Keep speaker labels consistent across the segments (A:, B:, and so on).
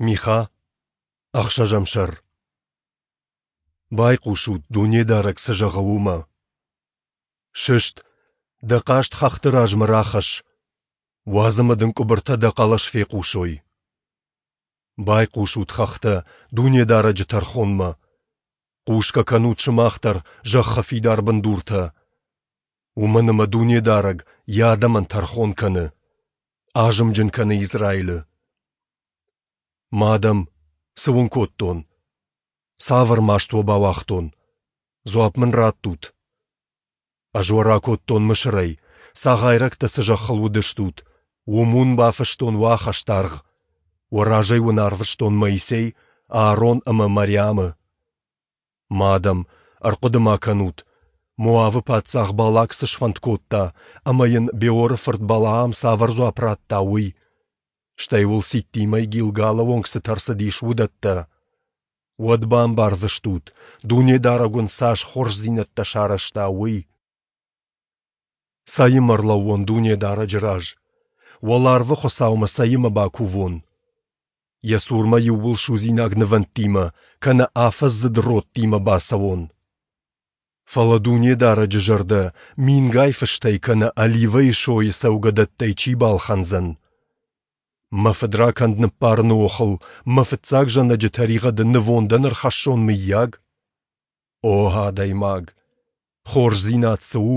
A: Миха, ӕхсӕзӕм сӕр. Байхъусут, Дунедарӕг цы зӕгъы, уымӕ. Сыст, дӕ хъаст хӕхты размӕ рахӕсс, уадз ӕмӕ дын къуыбыртӕ дӕ хъӕлӕс фехъусой. Байхъусут, хӕхтӕ, Дунедарӕджы тӕрхонмӕ. Хъусгӕ кӕнут сымах дӕр, зӕххы фидар бындуртӕ. Уымӕн ӕмӕ Дунедарӕг Йӕ адӕмӕн тӕрхон кӕны, азымджын кӕны Израилы. Мӕ адӕм, цы уын кодтон? Цавӕр маст уӕ бауагътон? Дзуапп мын раттут. Ӕз уӕ ракодтон Мысырӕй, цагъайрӕгтӕ цы зӕххыл уыдыстут, уым уын бафыстон уӕ ахӕстаргъ. Уӕ разӕй уын арвыстон Моисей, Аарон ӕмӕ Мариамы. Мӕ адӕм, ӕрхъуыды-ма кӕнут, Моавы паддзах Балак цы сфӕнд кодта ӕмӕ йын Беоры фырт Балаам цавӕр дзуапп радта, уый, стӕй уыл Ситтимӕй Гилгалы онг цытӕ рцыдис, уыдӕттӕ. Уӕд бамбардзыстут, Дунедарӕг уын цас хорздзинӕдтӕ сарӕзта, уый. Цӕимӕ ӕрлӕууон Дунедарӕджы раз? Уӕларвы Хуыцаумӕ цӕимӕ бакувон? Йӕ цурмӕ иууылсудзинаг нывӕндтимӕ кӕнӕ афӕдздзыд родтимӕ бацӕуон? Фӕлӕ Дунедарӕджы зӕрдӕ мингай фыстӕй кӕнӕ оливӕйы сойы цӕугӕдӕттӕй чи балхӕндзӕн? Мӕ фыдракӕнд ныббарыны охыл мӕ фыццаг зӕнӕджы тӕригъӕды нывондӕн ӕрхӕссон, мыййаг? О адӕймаг! Хорздзинад цы у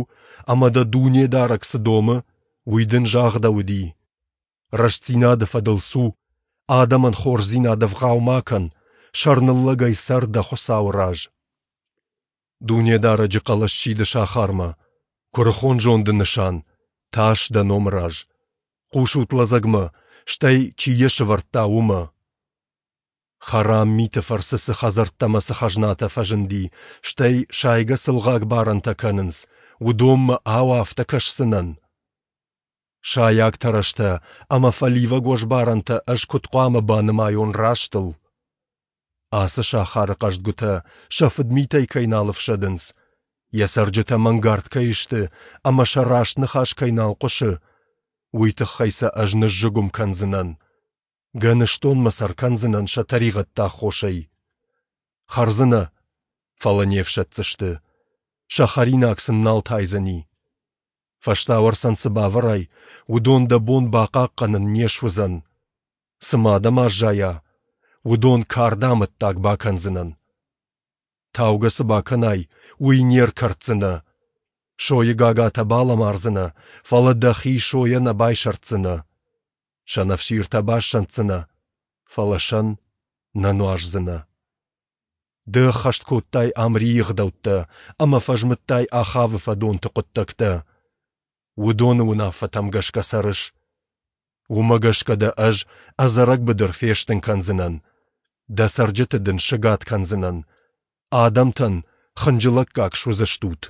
A: ӕмӕ дӕ Дунедарӕг цы домы, уый дын загъдӕуыди. Рӕстдзинады фӕдыл цу, адӕмӕн хорздзинад ӕвгъау ма кӕн, сӕрныллӕгӕй цӕр дӕ Хуыцауы раз. Дунедарӕджы хъӕлӕс сиды сахармӕ, куырыхон зонды нысан, тас дӕ номы раз. Хъусут лӕдзӕгмӕ, стӕй, чи йӕ сӕвӕрдта, уымӕ. Хӕрам миты фӕрцы цы хӕдзӕрттӕ ӕмӕ цы хӕзнатӕ фӕзынди, стӕй сайгӕ цы лгъаг барӕнтӕ кӕнынц, уыдонмӕ, ау, афтӕ кӕсдзынӕн? Сайаг тӕрӕзтӕ ӕмӕ фӕливӕг уӕзбарӕнтӕ ӕз куыд хъуамӕ банымайон растыл? Ацы сахары хъӕздгуытӕ сӕ фыдмитӕй кӕй нал ӕфсӕдынц, йӕ цӕрджытӕ мӕнгард кӕй сты ӕмӕ сӕ раст ныхас кӕй нал хъуысы, уый тыххӕй сӕ ӕз ныззыгуым кӕндзынӕн, гӕныстонмӕ сӕ ркӕндзынӕн сӕ тӕригъӕдты аххосӕй. Хӕрдзынӕ, фӕлӕ не фсӕддзысты, сӕ хӕринаг сын нал тайдзӕни. Фӕстауӕрцӕн цы бавӕрай, уыдон дӕ бон бахъахъхъӕнын не суыдзӕн. Цы ма дӕм аззайа, уыдон карды амӕттаг бакӕндзынӕн. Таугӕ цы бакӕнай, уый не ркӕрддзынӕ. Сойы гагатӕ балӕмардзынӕ, фӕлӕ дӕхи сойӕ нӕ байсӕрддзынӕ. Сӕнӕфсиртӕ бассӕнддзынӕ, фӕлӕ сӕн нӕ нуаздзынӕ. Ды ӕххӕст кодтай Амрийы ӕгъдӕуттӕ ӕмӕ фӕзмыдтай Ахавы фӕдонты хъуыддӕгтӕ. Уыдоны уынаффӕтӕм гӕсгӕ цӕрыс. Уымӕ гӕсгӕ дӕ ӕз ӕдзӕрӕг быдыр фестын кӕндзынӕн, дӕ цӕрджыты дын сыгад кӕндзынӕн, адӕмтӕн хынджылӕггаг суыдзыстут.